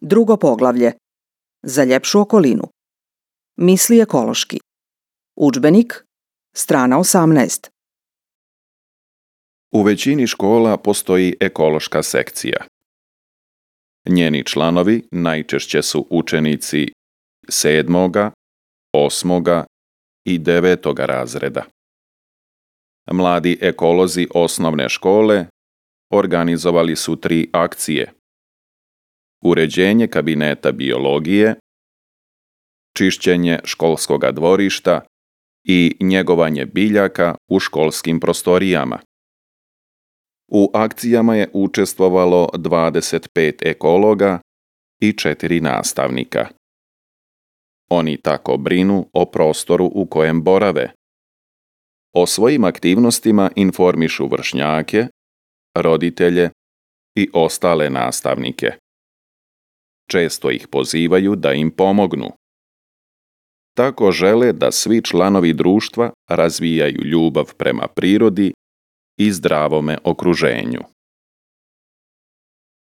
Drugo poglavlje. Za ljepšu okolinu. Misli ekološki. Udžbenik, strana 18. U većini škola postoji ekološka sekcija. Njeni članovi najčešće su učenici 7., 8. i 9. razreda. Mladi ekolozi osnovne škole organizovali su 3 akcije: uređenje kabineta biologije, čišćenje školskoga dvorišta i njegovanje biljaka u školskim prostorijama. U akcijama je učestvovalo 25 ekologa i 4 nastavnika. Oni tako brinu o prostoru u kojem borave. O svojim aktivnostima informišu vršnjake, roditelje i ostale nastavnike. Često ih pozivaju da im pomognu. Tako žele da svi članovi društva razvijaju ljubav prema prirodi i zdravome okruženju.